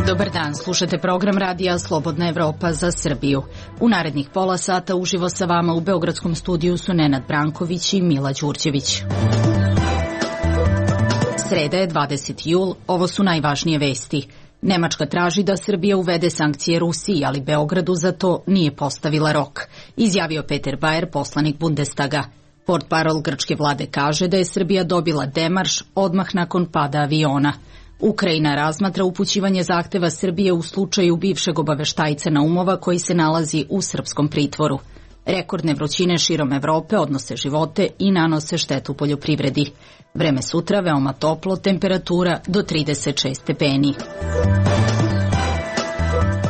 Dobar dan, slušate program radija Slobodna Evropa za Srbiju. U narednih pola sata uživo sa vama u beogradskom studiju su Nenad Branković i Mila Đurđević. Sreda je 20. jul, ovo su najvažnije vesti. Nemačka traži da Srbija uvede sankcije Rusiji, ali Beogradu za to nije postavila rok, izjavio Peter Bayer, poslanik Bundestaga. Portparol grčke vlade kaže da je Srbija dobila demarš odmah nakon pada aviona. Ukrajina razmatra upućivanje zahteva Srbije u slučaju bivšeg obaveštajca Naumova koji se nalazi u srpskom pritvoru. Rekordne vrućine širom Evrope odnose živote i nanose štetu poljoprivredi. Vreme sutra veoma toplo, temperatura do 36 stepeni.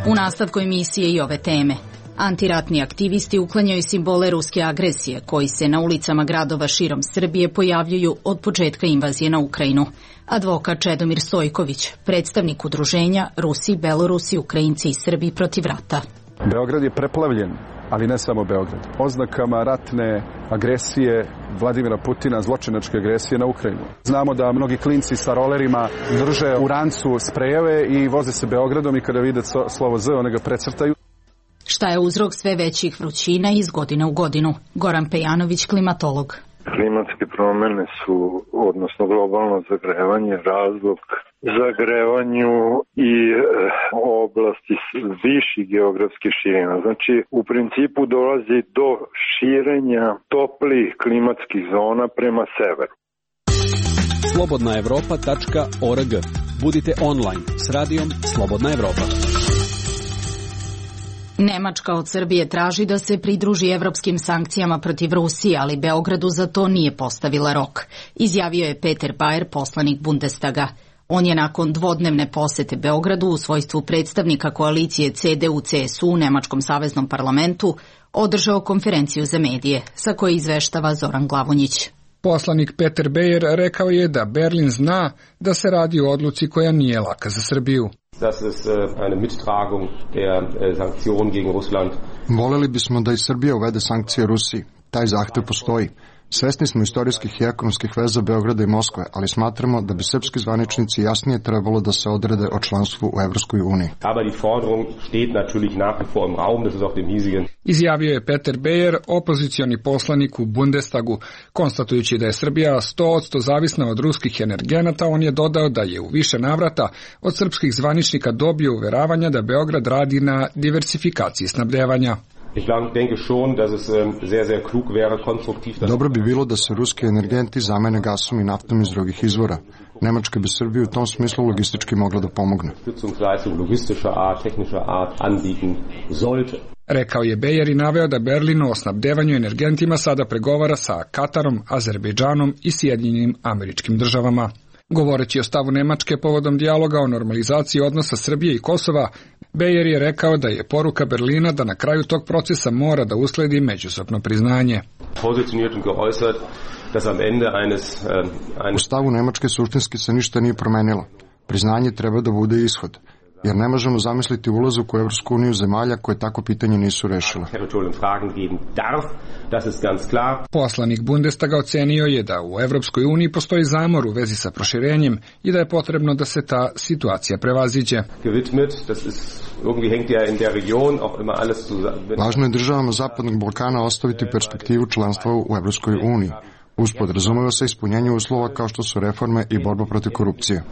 U nastavku emisije i ove teme. Antiratni aktivisti uklanjaju simbole ruske agresije koji se na ulicama gradova širom Srbije pojavljuju od početka invazije na Ukrajinu. Advokat Čedomir Stojković, predstavnik udruženja Rusi, Belorusi, Ukrajinci i Srbi protiv rata. Beograd je preplavljen, ali ne samo Beograd, oznakama ratne agresije Vladimira Putina, zločinačke agresije na Ukrajinu. Znamo da mnogi klinci sa rolerima drže u rancu sprejeve i voze se Beogradom i kada vide slovo Z, one ga precrtaju. Šta je uzrok sve većih vrućina iz godine u godinu? Goran Pejanović, klimatolog. Klimatske promene su, odnosno globalno zagrevanje, razlog zagrevanju i oblasti viših geografskih širina. Znači, u principu dolazi do širenja toplih klimatskih zona prema severu. Slobodnaevropa.org. Budite online s radijom Slobodna Evropa. Nemačka od Srbije traži da se pridruži evropskim sankcijama protiv Rusije, ali Beogradu za to nije postavila rok, izjavio je Peter Bayer, poslanik Bundestaga. On je nakon dvodnevne posete Beogradu u svojstvu predstavnika koalicije CDU-CSU u Nemačkom saveznom parlamentu održao konferenciju za medije, sa koje izveštava Zoran Glavonjić. Poslanik Peter Bayer rekao je da Berlin zna da se radi o odluci koja nije laka za Srbiju. Voleli bismo da i Srbija uvede sankcije Rusiji. Taj zahtev postoji. Svesni smo istorijskih i ekonomskih veza Beograda i Moskve, ali smatramo da bi srpski zvaničnici jasnije trebalo da se odrede o članstvu u Evropskoj uniji. Izjavio je Peter Bayer, opozicioni poslanik u Bundestagu. Konstatujući da je Srbija 100% zavisna od ruskih energenata, on je dodao da je u više navrata od srpskih zvaničnika dobio uveravanja da Beograd radi na diversifikaciji snabdevanja. Dobro bi bilo da se ruski energenti zamene gasom i naftom iz drugih izvora. Nemačka bi Srbiju u tom smislu logistički mogla da pomogne. Rekao je Bayer i naveo da Berlin o snabdevanju energentima sada pregovara sa Katarom, Azerbejdžanom i Sjedinjenim Američkim Državama. Govoreći o stavu Nemačke povodom dijaloga o normalizaciji odnosa Srbije i Kosova, Bayer je rekao da je poruka Berlina da na kraju tog procesa mora da usledi međusobno priznanje. U stavu Nemačke suštinski se ništa nije promenilo. Priznanje treba da bude ishod, jer ne možemo zamisliti ulazak u Evropsku uniju zemalja koje tako pitanje nisu rešile. Poslanik Bundestaga ocenio je da u Evropskoj uniji postoji zamor u vezi sa proširenjem i da je potrebno da se ta situacija prevaziđe. Važno je državama Zapadnog Balkana ostaviti perspektivu članstva u Evropskoj uniji. Uspod razumeva se ispunjenje uslova kao što su reforme i borba protiv korupcije.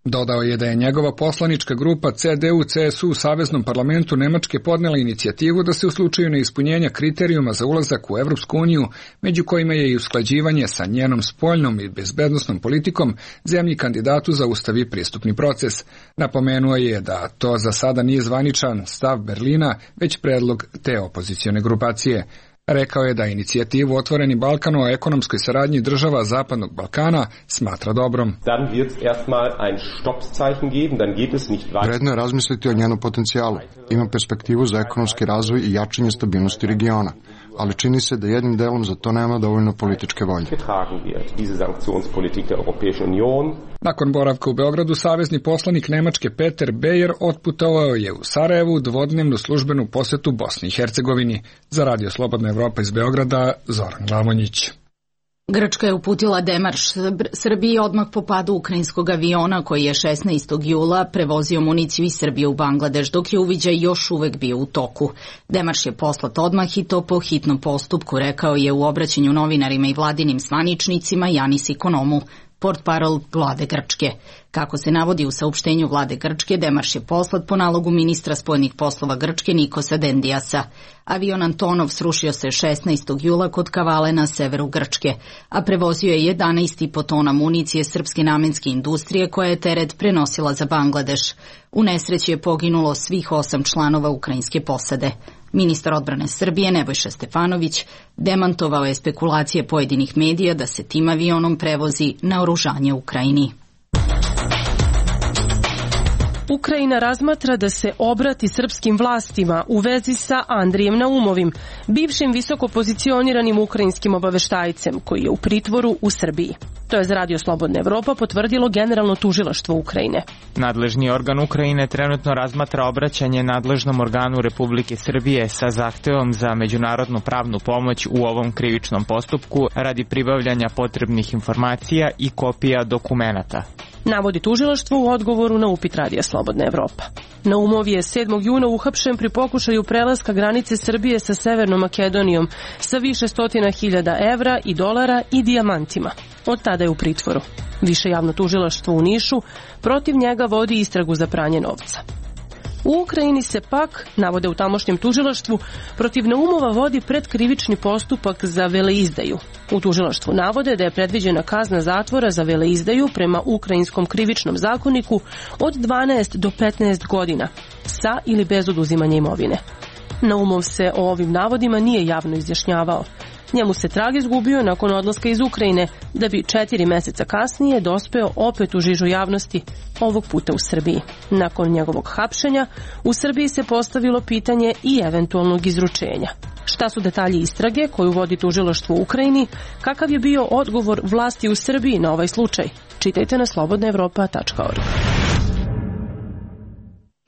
Dodao je da je njegova poslanička grupa CDU-CSU u Saveznom parlamentu Nemačke podnela inicijativu da se u slučaju neispunjenja kriterijuma za ulazak u Evropsku uniju, među kojima je i usklađivanje sa njenom spoljnom i bezbednosnom politikom, zemlji kandidatu zaustavi pristupni proces. Napomenuo je da to za sada nije zvaničan stav Berlina, već predlog te opozicione grupacije. Rekao je da inicijativu Otvoreni Balkan o ekonomskoj saradnji država Zapadnog Balkana smatra dobrom. Vredno je razmisliti o njenom potencijalu. Ima perspektivu za ekonomski razvoj i jačanje stabilnosti regiona, ali čini se da jednim delom za to nema dovoljno političke volje. Nakon boravka u Beogradu, savezni poslanik Nemačke Peter Bayer otputovao je u Sarajevu dvodnevnu službenu posetu Bosni i Hercegovini. Za Radio Slobodna Evropa iz Beograda, Zoran Glavonjić. Grčka je uputila demarš Srbiji odmah po padu ukrajinskog aviona koji je 16. jula prevozio municiju iz Srbije u Bangladeš, dok je uviđaj još uvek bio u toku. Demarš je poslat odmah i to po hitnom postupku, rekao je u obraćanju novinarima i vladinim zvaničnicima Janis Ikonomou, portparol vlade Grčke. Kako se navodi u saopštenju vlade Grčke, demarš je poslat po nalogu ministra spoljnih poslova Grčke Nikosa Dendiasa. Avion Antonov srušio se 16. jula kod Kavale na severu Grčke, a prevozio je 11,5 tona municije srpske namenske industrije koja je teret prenosila za Bangladeš. U nesreći je poginulo svih 8 članova ukrajinske posade. Ministar odbrane Srbije Nebojša Stefanović demantovao je spekulacije pojedinih medija da se tim avionom prevozi naoružanje Ukrajini. Ukrajina razmatra da se obrati srpskim vlastima u vezi sa Andrijem Naumovim, bivšim visoko pozicioniranim ukrajinskim obaveštajcem koji je u pritvoru u Srbiji. To je za Radio Slobodna Evropa potvrdilo Generalno tužilaštvo Ukrajine. Nadležni organ Ukrajine trenutno razmatra obraćanje nadležnom organu Republike Srbije sa zahtevom za međunarodnu pravnu pomoć u ovom krivičnom postupku radi pribavljanja potrebnih informacija i kopija dokumenata. Navodi tužilaštvo u odgovoru na upit Radija Slobodna Evropa. Naumov je 7. juna uhapšen pri pokušaju prelaska granice Srbije sa Severnom Makedonijom sa više stotina hiljada evra i dolara i dijamantima. Od tada je u pritvoru. Više javno tužilaštvo u Nišu protiv njega vodi istragu za pranje novca. U Ukrajini se pak, navode u tamošnjem tužilaštvu, protiv Naumova vodi predkrivični postupak za veleizdaju. U tužilaštvu navode da je predviđena kazna zatvora za veleizdaju prema ukrajinskom krivičnom zakoniku od 12 do 15 godina, sa ili bez oduzimanja imovine. Naumov se o ovim navodima nije javno izjašnjavao. Njemu se trag izgubio nakon odlaska iz Ukrajine, da bi 4 meseca kasnije dospeo opet u žižu javnosti, ovog puta u Srbiji. Nakon njegovog hapšenja, u Srbiji se postavilo pitanje i eventualnog izručenja. Šta su detalji istrage koju vodi tužilaštvo u Ukrajini, kakav je bio odgovor vlasti u Srbiji na ovaj slučaj? Čitajte na slobodnaevropa.org.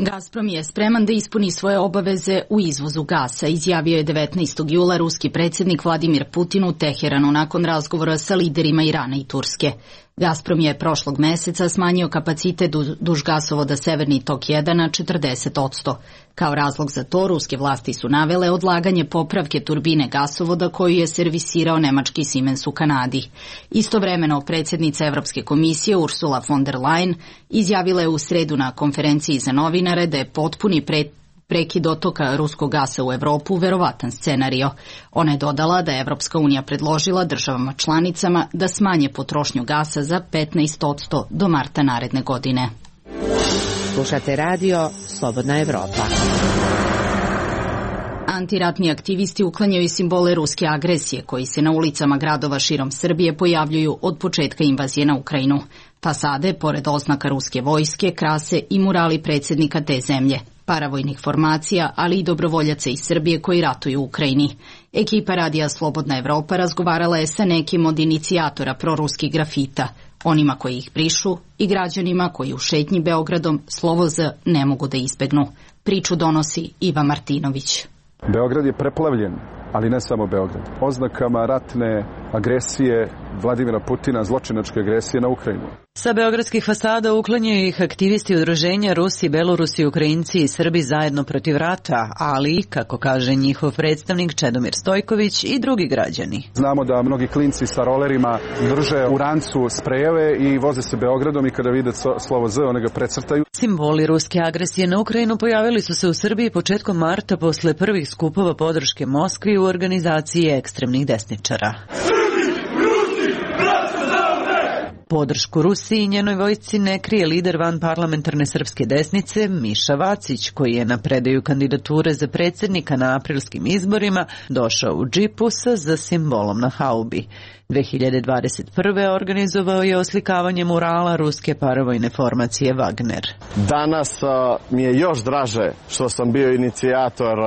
Gazprom je spreman da ispuni svoje obaveze u izvozu gasa, izjavio je 19. jula ruski predsjednik Vladimir Putin u Teheranu nakon razgovora sa liderima Irana i Turske. Gazprom je prošlog meseca smanjio kapacitet duž gasovoda Severni tok 1 na 40%. Kao razlog za to ruske vlasti su navele odlaganje popravke turbine gasovoda koju je servisirao nemački Siemens u Kanadi. Istovremeno predsjednica Evropske komisije Ursula von der Leyen izjavila je u sredu na konferenciji za novinare da je potpuni prekid dotoka ruskog gasa u Evropu verovatan scenario. Ona je dodala da je Evropska unija predložila državama članicama da smanje potrošnju gasa za 15% do marta naredne godine. Slušate radio Slobodna Evropa. Antiratni aktivisti uklanjaju simbole ruske agresije koji se na ulicama gradova širom Srbije pojavljuju od početka invazije na Ukrajinu. Fasade, pored oznaka ruske vojske, krase i murali predsjednika te zemlje, paravojnih formacija, ali i dobrovoljaca iz Srbije koji ratuju u Ukrajini. Ekipa Radija Slobodna Evropa razgovarala je sa nekim od inicijatora proruskih grafita, onima koji ih brišu i građanima koji u šetnji Beogradom slovo Z ne mogu da izbegnu. Priču donosi Iva Martinović. Beograd je preplavljen, ali ne samo Beograd, oznakama ratne agresije Vladimira Putina, zločinačke agresije na Ukrajinu. Sa beogradskih fasada uklanjaju ih aktivisti udruženja Rusi, Belorusi, Ukrajinci i Srbi zajedno protiv rata, ali, kako kaže njihov predstavnik Čedomir Stojković, i drugi građani. Znamo da mnogi klinci sa rolerima drže u rancu sprejeve i voze se Beogradom i kada vide slovo Z, one ga precrtaju. Simboli ruske agresije na Ukrajinu pojavili su se u Srbiji početkom marta posle prvih skupova podrške Moskvi u organizaciji ekstremnih desničara. Podršku Rusiji i njenoj vojsci ne krije lider vanparlamentarne srpske desnice Miša Vacić, koji je na predaju kandidature za predsjednika na aprilskim izborima došao u džipu sa simbolom na haubi. 2021. organizovao je oslikavanje murala ruske paravojne formacije Wagner. Danas mi je još draže što sam bio inicijator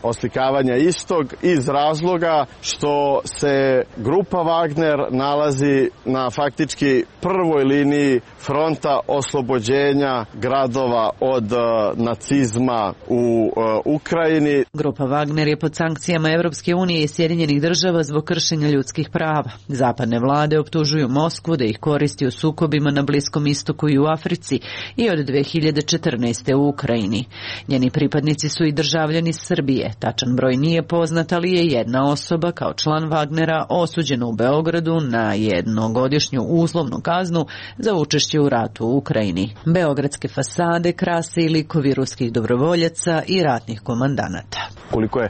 oslikavanja istog iz razloga što se grupa Wagner nalazi na faktički prvoj liniji fronta oslobođenja gradova od nacizma u Ukrajini. Grupa Wagner je pod sankcijama Evropske unije i Sjedinjenih država zbog kršenja ljudskih prava. Zapadne vlade optužuju Moskvu da ih koristi u sukobima na Bliskom istoku i u Africi i od 2014. u Ukrajini. Njeni pripadnici su i državljani Srbije. Tačan broj nije poznat, ali je jedna osoba kao član Wagnera osuđena u Beogradu na jednogodišnju uslovnu kaznu za učešće u ratu u Ukrajini. Beogradske fasade krase i likovi ruskih dobrovoljaca i ratnih komandanata. Koliko je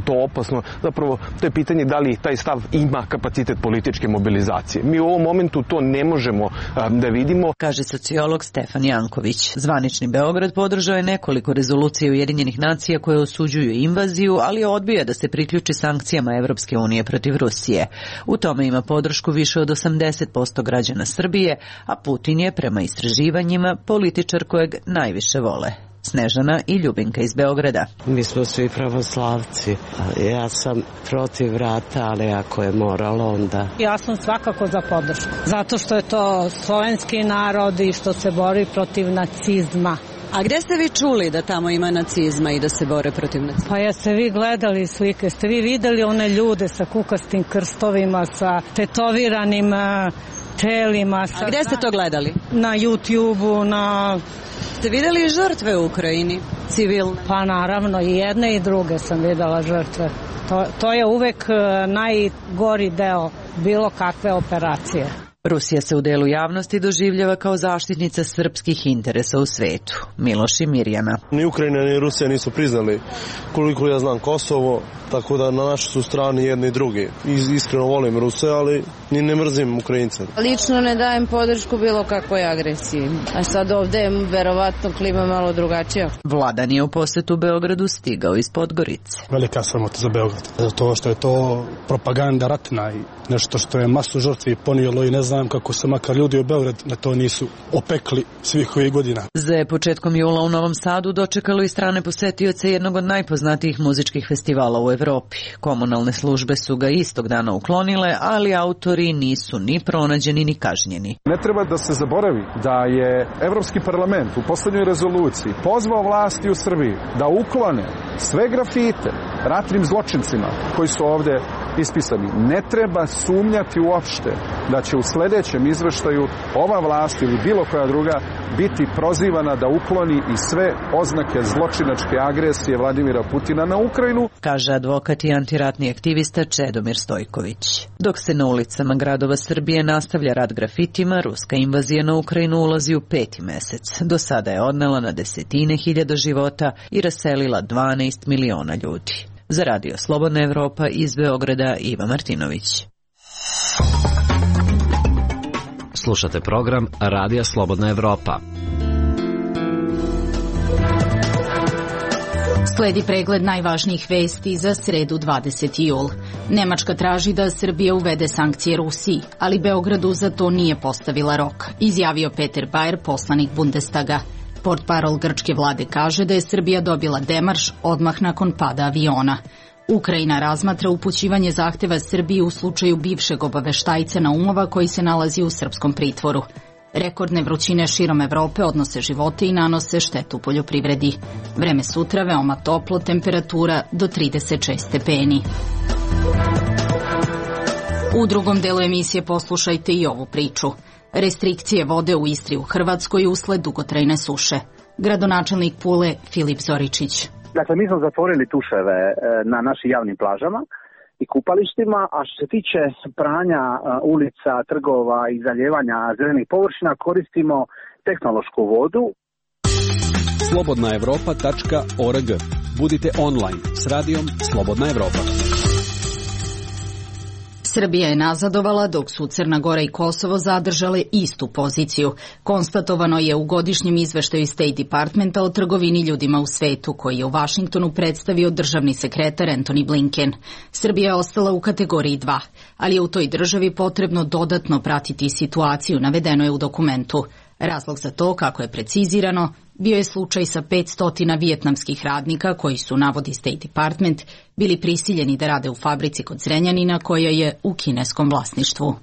to opasno, zapravo to je pitanje da li taj stav ima kapacitet političke mobilizacije. Mi u ovom momentu to ne možemo da vidimo, kaže sociolog Stefan Janković. Zvanični Beograd podržao je nekoliko rezolucija Ujedinjenih nacija koje osuđuju invaziju, ali odbija da se priključi sankcijama Evropske unije protiv Rusije. U tome ima podršku više od 80% građana Srbije, a Putin je prema istraživanjima političar kojeg najviše vole. Snežana i Ljubinka iz Beograda. Mi smo svi pravoslavci. Ja sam protiv rata, ali ako je moralo, onda... Ja sam svakako za podršku. Zato što je to slovenski narod i što se bori protiv nacizma. A gde ste vi čuli da tamo ima nacizma i da se bore protiv nacizma? Pa jeste vi gledali slike, ste vi videli one ljude sa kukastim krstovima, sa tetoviranim telima. A gde ste to gledali? Na YouTube-u, na... Ste videli žrtve u Ukrajini, civilne? Pa naravno, i jedne i druge sam videla žrtve. To je uvek najgori deo bilo kakve operacije. Rusija se u delu javnosti doživljava kao zaštitnica srpskih interesa u svetu. Miloš i Mirjana. Ni Ukrajina ni Rusija nisu priznali, koliko ja znam, Kosovo, tako da na našoj su strani jedni i drugi. Iskreno volim Ruse, ali ni ne mrzim Ukrajince. Lično ne dajem podršku bilo kakvoj agresiji. A sad ovde je verovatno klima malo drugačija. Vladan je u posetu Beogradu stigao iz Podgorice. Velika sramota za Beograd. Zato što je to propaganda ratna i nešto što je masu žrtvi ponijelo i ne znam kako se makar ljudi u Beograd na to nisu opekli svih ovih godina. Za početkom jula u Novom Sadu dočekalo i strane posetioce jednog od najpoznatijih muzičkih festivala u Evropi. Komunalne službe su ga istog dana uklonile, ali autori nisu ni pronađeni ni kažnjeni. Ne treba da se zaboravi da je Evropski parlament u poslednjoj rezoluciji pozvao vlasti u Srbiji da uklone sve grafite ratnim zločincima koji su ovde ispisani. Ne treba sumnjati uopšte da će u sledećem izveštaju ova vlast ili bilo koja druga biti prozivana da ukloni i sve oznake zločinačke agresije Vladimira Putina na Ukrajinu, kaže advokat i antiratni aktivista Čedomir Stojković. Dok se na ulicama gradova Srbije nastavlja rat grafitima, ruska invazija na Ukrajinu ulazi u 5. mesec. Do sada je odnela na desetine hiljada života i raselila 12 miliona ljudi. Za Radio Slobodna Evropa iz Beograda Iva Martinović. Slušate program Radija Slobodna Evropa. Sledi pregled najvažnijih vesti za sredu 20. jul. Nemačka traži da Srbija uvede sankcije Rusiji, ali Beogradu za to nije postavila rok, izjavio Peter Bayer, poslanik Bundestaga. Portparol grčke vlade kaže da je Srbija dobila demarš odmah nakon pada aviona. Ukrajina razmatra upućivanje zahteva Srbiji u slučaju bivšeg obaveštajca Naumova koji se nalazi u srpskom pritvoru. Rekordne vrućine širom Evrope odnose živote i nanose štetu poljoprivredi. Vreme sutra veoma toplo, temperatura do 36 stepeni. U drugom delu emisije poslušajte i ovu priču. Restrikcije vode u Istri u Hrvatskoj usled dugotrajne suše. Gradonačelnik Pule Filip Zoričić. Dakle, mi smo zatvorili tuševe na našim javnim plažama i kupalištima, a što se tiče pranja ulica, trgova i zaljevanja zelenih površina koristimo tehnološku vodu. slobodnaevropa.org. Budite online s radijom Slobodna Evropa. Srbija je nazadovala dok su Crna Gora i Kosovo zadržale istu poziciju. Konstatovano je u godišnjem izveštaju State Departmenta o trgovini ljudima u svetu, koji je u Vašingtonu predstavio državni sekretar Antony Blinken. Srbija je ostala u kategoriji 2, ali je u toj državi potrebno dodatno pratiti situaciju, navedeno je u dokumentu. Razlog za to, kako je precizirano, bio je slučaj sa 500 vijetnamskih radnika koji su, navodi State Department, bili prisiljeni da rade u fabrici kod Zrenjanina koja je u kineskom vlasništvu.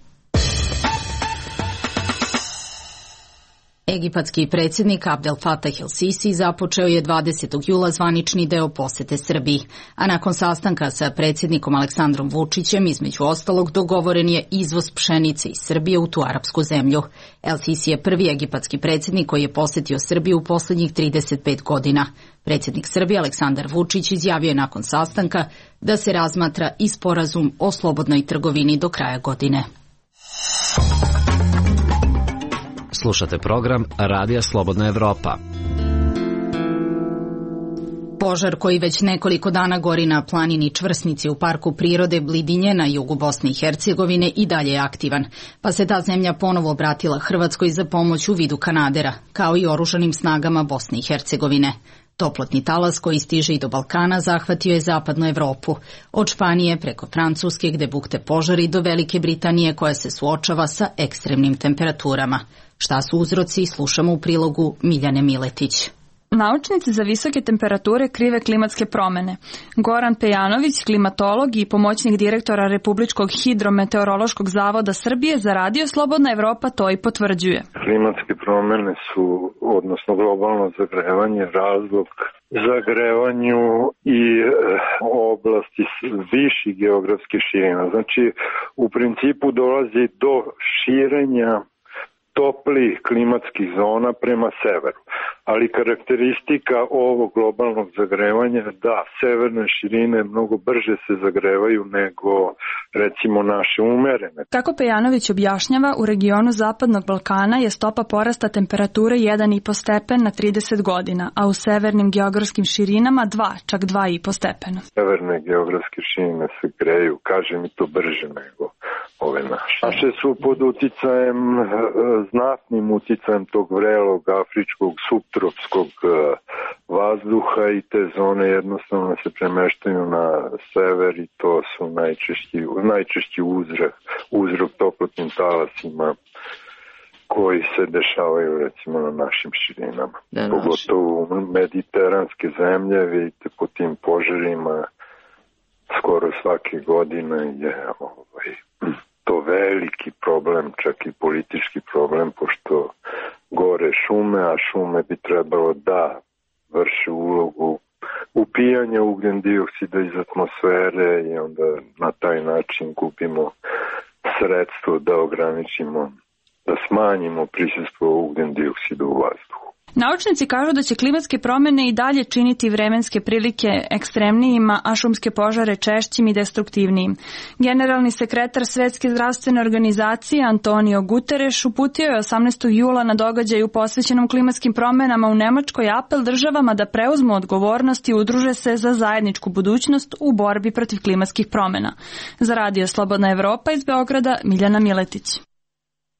Egipatski predsjednik Abdel Fattah el-Sisi započeo je 20. jula zvanični deo posete Srbiji, a nakon sastanka sa predsjednikom Aleksandrom Vučićem, između ostalog, dogovoren je izvoz pšenice iz Srbije u tu arapsku zemlju. El-Sisi je prvi egipatski predsjednik koji je posetio Srbiju u posljednjih 35 godina. Predsjednik Srbije Aleksandar Vučić izjavio je nakon sastanka da se razmatra i sporazum o slobodnoj trgovini do kraja godine. Slušate program Radija Slobodna Evropa. Požar koji već nekoliko dana gori na planini Čvrsnici u parku prirode Blidinje na jugu Bosne i Hercegovine i dalje je aktivan, pa se ta zemlja ponovo obratila Hrvatskoj za pomoć u vidu kanadera, kao i oružanim snagama Bosne i Hercegovine. Toplotni talas koji stiže i do Balkana zahvatio je zapadnu Evropu, od Španije preko Francuske gde bukte požari do Velike Britanije koja se suočava sa ekstremnim temperaturama. Šta su uzroci, slušamo u prilogu Miljane Miletić. Naučnici za visoke temperature krive klimatske promene. Goran Pejanović, klimatolog i pomoćnik direktora Republičkog hidrometeorološkog zavoda Srbije za Radio Slobodna Evropa, to i potvrđuje. Klimatske promene su, odnosno globalno zagrevanje, razlog zagrevanju i oblasti viših geografskih širina. Znači, u principu dolazi do širenja toplih klimatskih zona prema severu. Ali karakteristika ovog globalnog zagrevanja da severne širine mnogo brže se zagrevaju nego recimo naše umerene. Kako Pejanović objašnjava, u regionu Zapadnog Balkana je stopa porasta temperature 1,5 stepen na 30 godina, a u severnim geografskim širinama 2, čak 2,5 stepena. Severne geografske širine se greju, kaže mi to brže nego ove naše. Naše su pod uticajem, znatnim uticajem tog vrelog afričkog subtropskog vazduha i te zone jednostavno se premeštaju na sever i to su najčešći uzrok toplotnim talasima koji se dešavaju recimo na našim širinama. Pogotovo mediteranske zemlje, vidite po tim požarima skoro svake godine je to veliki problem, čak i politički problem, pošto gore šume, a šume bi trebalo da vrše ulogu upijanja ugljen dioksida iz atmosfere i onda na taj način gubimo sredstvo da ograničimo, da smanjimo prisustvo ugljen dioksida u vazduhu. Naučnici kažu da će klimatske promene i dalje činiti vremenske prilike ekstremnijima, a šumske požare češćim i destruktivnijim. Generalni sekretar Svetske zdravstvene organizacije Antonio Guterres uputio je 18. jula na događaju posvećenom klimatskim promenama u Nemačkoj apel državama da preuzmu odgovornost i udruže se za zajedničku budućnost u borbi protiv klimatskih promena. Za Radio Slobodna Evropa iz Beograda, Miljana Miletić.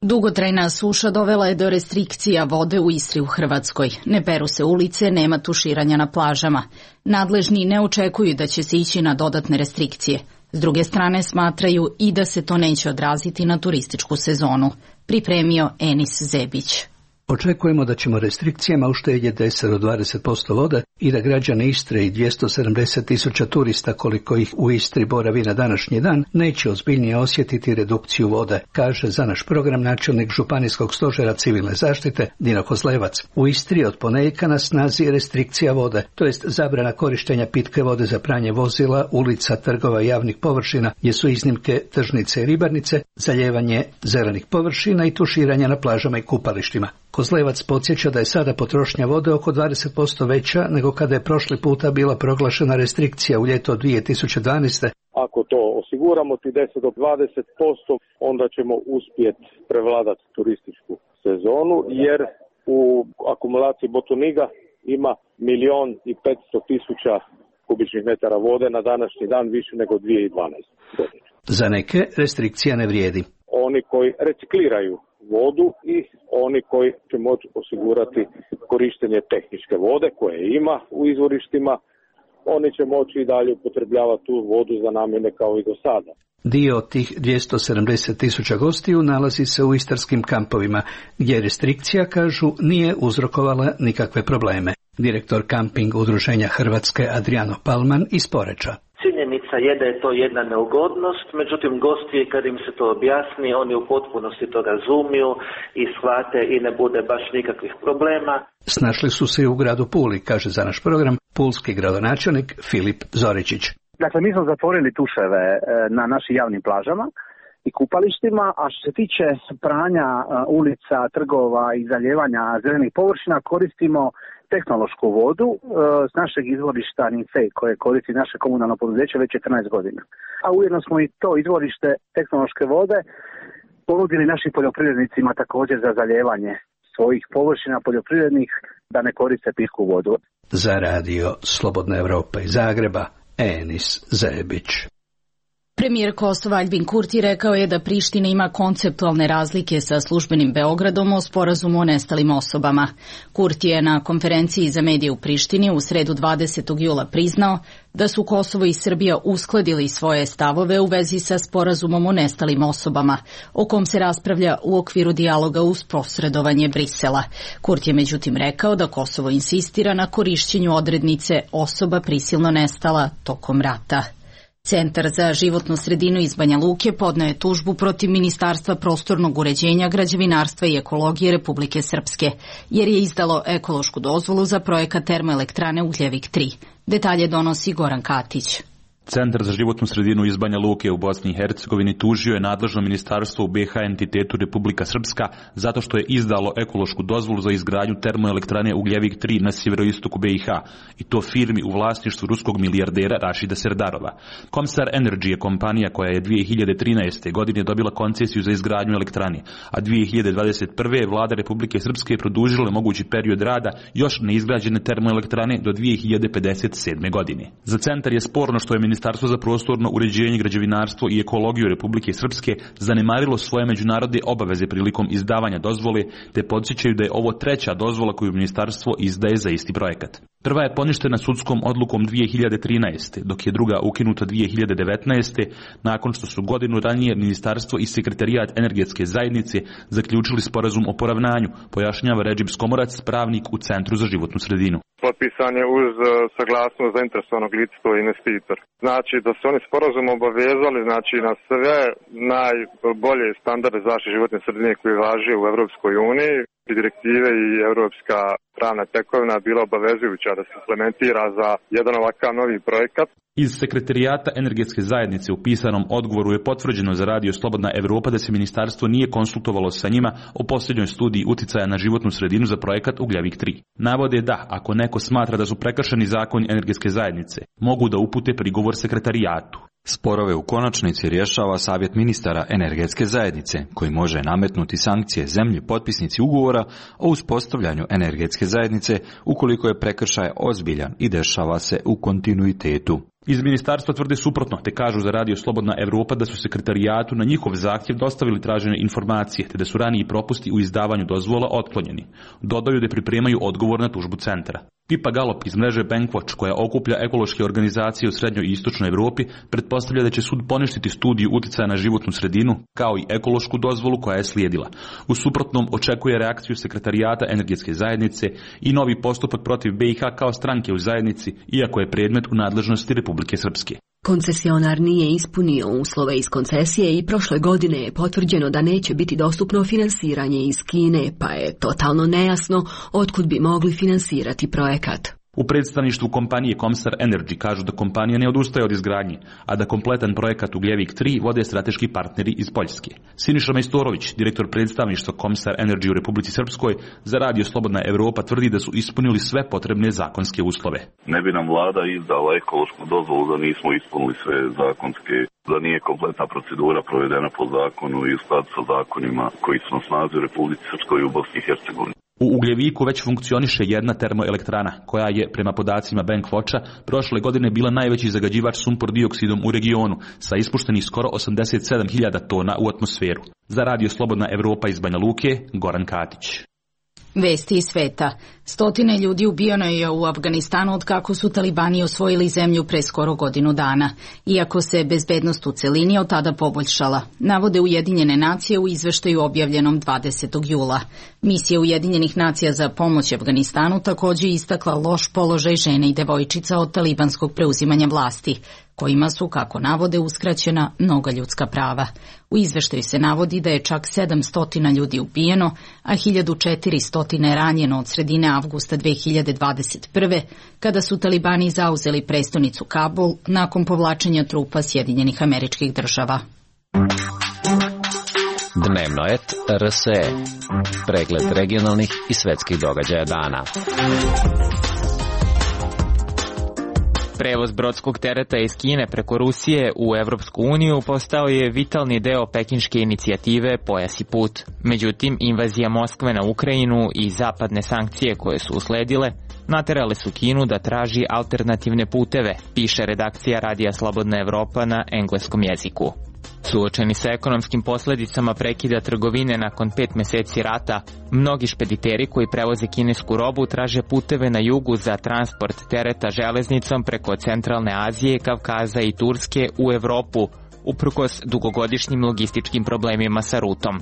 Dugotrajna suša dovela je do restrikcija vode u Istri u Hrvatskoj. Ne peru se ulice, nema tuširanja na plažama. Nadležni ne očekuju da će se ići na dodatne restrikcije. S druge strane smatraju i da se to neće odraziti na turističku sezonu. Pripremio Enis Zebić. Očekujemo da ćemo restrikcijama uštedjeti 10 do 20% vode i da građani Istre i 270.000 turista koliko ih u Istri boravi na današnji dan neće ozbiljnije osjetiti redukciju vode, kaže za naš program načelnik Županijskog stožera civilne zaštite Dino Kozlevac. U Istri od ponedjeljka na snazi restrikcija vode, to jest zabrana korištenja pitke vode za pranje vozila, ulica, trgova i javnih površina, gdje su iznimke tržnice i ribarnice, zalijevanje zelenih površina i tuširanja na plažama i kupalištima. Kozlevac podsjeća da je sada potrošnja vode oko 20% veća nego kada je prošli puta bila proglašena restrikcija u ljeto 2012. Ako to osiguramo ti 10 do 20%, onda ćemo uspjeti prevladati turističku sezonu, jer u akumulaciji Botuniga ima 1.500.000 kubičnih metara vode na današnji dan, više nego 2012. godine. Za neke restrikcija ne vrijedi. Oni koji recikliraju vodu i oni koji će moći osigurati korištenje tehničke vode koje ima u izvorištima, oni će moći i dalje upotrebljavati tu vodu za namjene kao i do sada. Dio od tih 270.000 gostiju nalazi se u istarskim kampovima, gdje restrikcija, kažu, nije uzrokovala nikakve probleme. Direktor kamping udruženja Hrvatske Adriano Palman iz Poreča. Činjenica je da je to jedna neugodnost, međutim gosti kad im se to objasni, oni u potpunosti to razumiju i shvate i ne bude baš nikakvih problema. Snašli su se i u gradu Puli, kaže za naš program pulski gradonačelnik Filip Zoričić. Dakle, mi smo zatvorili tuševe na našim javnim plažama i kupalištima, a što se tiče pranja ulica, trgova i zaljevanja zelenih površina, koristimo tehnološku vodu s našeg izvorišta Ninfej, koje koristi naše komunalno poduzeće već 14 godina. A ujedno smo i to izvorište tehnološke vode ponudili našim poljoprivrednicima također za zaljevanje svojih površina poljoprivrednih da ne koriste pitku vodu. Za radio Slobodna Evropa iz Zagreba, Enis Zebić. Premijer Kosova Aljbin Kurti rekao je da Priština ima konceptualne razlike sa službenim Beogradom o sporazumu o nestalim osobama. Kurti je na konferenciji za medije u Prištini u sredu 20. jula priznao da su Kosovo i Srbija uskladili svoje stavove u vezi sa sporazumom o nestalim osobama, o kom se raspravlja u okviru dijaloga uz posredovanje Brisela. Kurti je međutim rekao da Kosovo insistira na korišćenju odrednice osoba prisilno nestala tokom rata. Centar za životnu sredinu iz Banja Luke podneo je tužbu protiv Ministarstva prostornog uređenja, građevinarstva i ekologije Republike Srpske, jer je izdalo ekološku dozvolu za projekat termoelektrane Ugljevik 3. Detalje donosi Goran Katić. Centar za životnu sredinu iz Banja Luke u Bosni i Hercegovini tužio je nadležno ministarstvo u BiH entitetu Republika Srpska zato što je izdalo ekološku dozvolu za izgradnju termoelektrane Ugljevik 3 na sjeveroistoku BiH i to firmi u vlasništvu ruskog milijardera Rašida Serdarova. Comstar Energy je kompanija koja je 2013. godine dobila koncesiju za izgradnju elektrane, a 2021. je vlada Republike Srpske produžila mogući period rada još neizgrađene termoelektrane do 2057. godine. Za centar je sporno što je Ministarstvo za prostorno uređenje, građevinarstvo i ekologiju Republike Srpske zanemarilo svoje međunarodne obaveze prilikom izdavanja dozvole, te podsjećaju da je ovo treća dozvola koju ministarstvo izdaje za isti projekat. Prva je poništena sudskom odlukom 2013. dok je druga ukinuta 2019. nakon što su godinu ranije ministarstvo i sekretarijat energetske zajednice zaključili sporazum o poravnanju, pojašnjava Redžip Skomorac, pravnik u Centru za životnu sredinu. Potpisan je uz saglasnost zainteresovanog lica, to je investitor. Znači da se oni sporazum obavezali na sve najbolje standarde zaštite životne sredine koje važe u Evropskoj uniji. Direktive i evropska pravna tekovina bila obavezujuća da se implementira za jedan ovakav novi projekat. Iz sekretarijata energetske zajednice u pisanom odgovoru je potvrđeno za Radio Slobodna Evropa da se ministarstvo nije konsultovalo sa njima o posljednjoj studiji uticaja na životnu sredinu za projekat Ugljevik 3. Navode da, ako neko smatra da su prekršeni zakoni energetske zajednice, mogu da upute prigovor sekretarijatu. Sporove u konačnici rješava Savjet ministara energetske zajednice, koji može nametnuti sankcije zemlji potpisnici ugovora o uspostavljanju energetske zajednice ukoliko je prekršaj ozbiljan i dešava se u kontinuitetu. Iz ministarstva tvrde suprotno, te kažu za Radio Slobodna Evropa da su sekretarijatu na njihov zahtjev dostavili tražene informacije, te da su raniji propusti u izdavanju dozvola otklonjeni. Dodaju da pripremaju odgovor na tužbu centra. Pipa Galop iz mreže Bankwatch, koja okuplja ekološke organizacije u srednjoj i istočnoj Evropi, pretpostavlja da će sud poništiti studiju uticaja na životnu sredinu, kao i ekološku dozvolu koja je slijedila. U suprotnom očekuje reakciju sekretarijata energetske zajednice i novi postupak protiv BiH kao stranke u zajednici, iako je predmet u nadležnosti Republike Srpske. Koncesionar nije ispunio uslove iz koncesije i prošle godine je potvrđeno da neće biti dostupno finansiranje iz Kine, pa je totalno nejasno otkud bi mogli finansirati projekat. U predstavništvu kompanije Comstar Energy kažu da kompanija ne odustaje od izgradnje, a da kompletan projekat Ugljevik 3 vode strateški partneri iz Poljske. Siniša Majstorović, direktor predstavništva Comstar Energy u Republici Srpskoj, za Radio Slobodna Evropa tvrdi da su ispunili sve potrebne zakonske uslove. Ne bi nam vlada izdala ekološku dozvolu da nismo ispunili sve zakonske, da nije kompletna procedura provedena po zakonu i u skladu sa zakonima koji su na snazi u Republici Srpskoj i u Bosni i Hercegovini. U Ugljeviku već funkcioniše jedna termoelektrana, koja je, prema podacima Bankwatcha, prošle godine bila najveći zagađivač sumpor dioksidom u regionu, sa ispuštenih skoro 87.000 tona u atmosferu. Za Radio Slobodna Evropa iz Banja Luke, Goran Katić. Vesti iz sveta. Stotine ljudi ubijeno je u Afganistanu od kako su talibani osvojili zemlju pre skoro godinu dana, iako se bezbednost u celini od tada poboljšala, navode Ujedinjene nacije u izveštaju objavljenom 20. jula. Misija Ujedinjenih nacija za pomoć Afganistanu također istakla loš položaj žene i devojčica od talibanskog preuzimanja vlasti, kojima su, kako navode, uskraćena mnoga ljudska prava. U izveštaju se navodi da je čak 700 ljudi ubijeno, a 1400 ranjeno od sredine avgusta 2021. kada su talibani zauzeli prestonicu Kabul nakon povlačenja trupa Sjedinjenih Američkih Država. Dnevno et RSE. Pregled regionalnih i svetskih događaja dana. Prevoz brodskog tereta iz Kine preko Rusije u Evropsku uniju postao je vitalni deo pekinške inicijative Pojas i put. Međutim, invazija Moskve na Ukrajinu i zapadne sankcije koje su usledile naterale su Kinu da traži alternativne puteve, piše redakcija Radija Slobodna Evropa na engleskom jeziku. Suočeni sa ekonomskim posljedicama prekida trgovine nakon 5 meseci rata, mnogi špediteri koji prevoze kinesku robu traže puteve na jugu za transport tereta železnicom preko Centralne Azije, Kavkaza i Turske u Evropu, uprkos dugogodišnjim logističkim problemima sa rutom.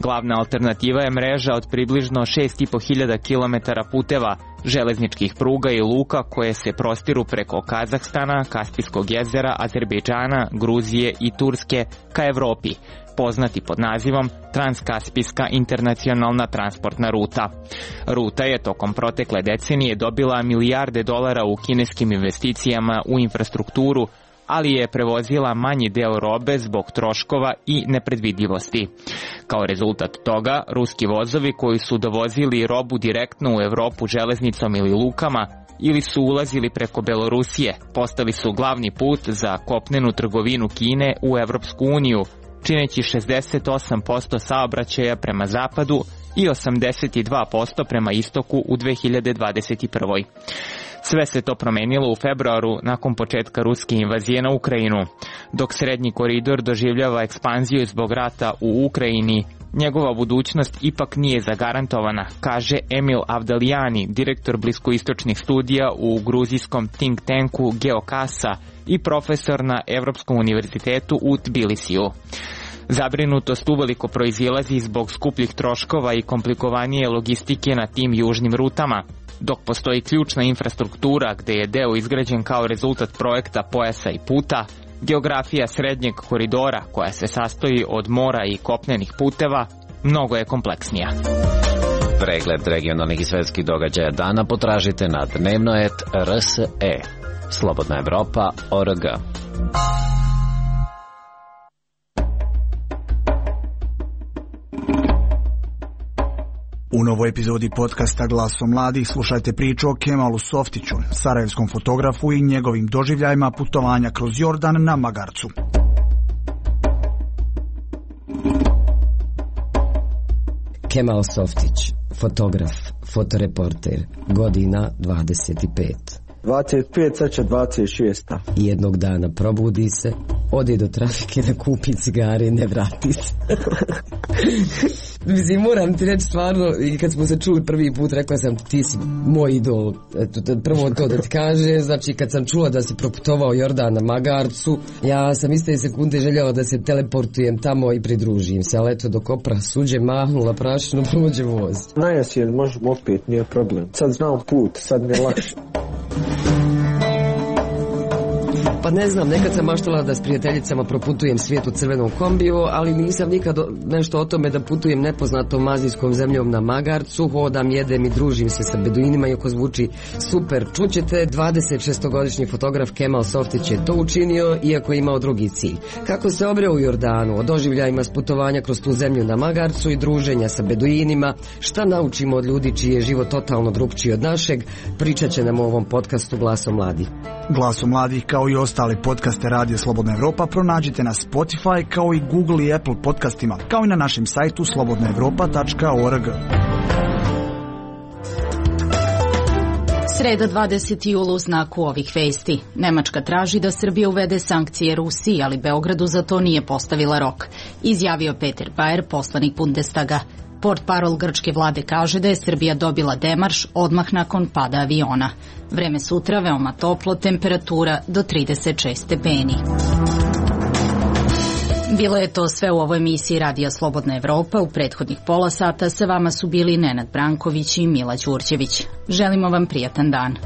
Glavna alternativa je mreža od približno 6.500 km puteva, železničkih pruga i luka koje se prostiru preko Kazahstana, Kaspijskog jezera, Azerbejdžana, Gruzije i Turske ka Evropi, poznati pod nazivom Transkaspijska internacionalna transportna ruta. Ruta je tokom protekle decenije dobila milijarde dolara u kineskim investicijama u infrastrukturu, ali je prevozila manji deo robe zbog troškova i nepredvidljivosti. Kao rezultat toga, ruski vozovi koji su dovozili robu direktno u Evropu železnicom ili lukama ili su ulazili preko Belorusije, postali su glavni put za kopnenu trgovinu Kine u Evropsku uniju, čineći 68% saobraćaja prema zapadu i 82% prema istoku u 2021. Sve se to promenilo u februaru nakon početka ruske invazije na Ukrajinu. Dok srednji koridor doživljava ekspanziju zbog rata u Ukrajini, njegova budućnost ipak nije zagarantovana, kaže Emil Avdalijani, direktor bliskoistočnih studija u gruzijskom think tanku Geokasa i profesor na Evropskom univerzitetu u Tbilisiju. Zabrinutost uveliko proizilazi zbog skupljih troškova i komplikovanije logistike na tim južnim rutama. Dok postoji ključna infrastruktura gde je deo izgrađen kao rezultat projekta Pojasa i puta, geografija srednjeg koridora, koja se sastoji od mora i kopnenih puteva, mnogo je kompleksnija. Pregled regionalnih i svetskih događaja dana potražite na dnevnoet.rse. Slobodna Evropa.org. U novoj epizodi podcasta Glaso mladih slušajte priču o Kemalu Softiću, sarajevskom fotografu i njegovim doživljajima putovanja kroz Jordan na magarcu. Kemal Softić, fotograf, fotoreporter, godina 25. 25, sad će 26. Jednog dana probudi se, ode do trafike da kupi cigare i ne vrati se. Mislim, moram ti reći stvarno, i kad smo se čuli prvi put, rekla sam ti si moj idol. Eto, prvo to da ti kaže, znači kad sam čula da si proputovao Jordan na magarcu, ja sam iste sekunde željela da se teleportujem tamo i pridružim se, ali eto dok opra suđe mahnula prašinu, prođe voz. Najasjen, možemo opet, nije problem. Sad znam put, sad mi je lakše. Pa ne znam, nekad sam maštala da s prijateljicama proputujem svijet u crvenom kombiju, ali nisam nikad nešto o tome da putujem nepoznatom azijskom zemljom na magarcu, hodam, jedem i družim se sa beduinima, iako zvuči super. Čućete, 26-godišnji fotograf Kemal Softić je to učinio, iako je imao drugi cilj. Kako se obreo u Jordanu, o doživljajima s putovanja kroz tu zemlju na magarcu i druženja sa beduinima, šta naučimo od ljudi čiji je život totalno drugčiji od našeg, pričat će nam u ovom podcastu Glaso mladih. Glaso mladih, kao i ostale podcaste Radija Slobodna Evropa, pronađite na Spotify, kao i Google i Apple podcastima, kao i na našem sajtu slobodnaevropa.org. Sreda 20. jula u znaku ovih vesti. Nemačka traži da Srbija uvede sankcije Rusiji, ali Beogradu za to nije postavila rok, izjavio Peter Bayer, poslanik Bundestaga. Portparol grčke vlade kaže da je Srbija dobila demarš odmah nakon pada aviona. Vreme sutra veoma toplo, temperatura do 36 stepeni. Bilo je to sve u ovoj emisiji Radija Slobodna Evropa. U prethodnih pola sata sa vama su bili Nenad Branković i Mila Đurđević. Želimo vam prijatan dan.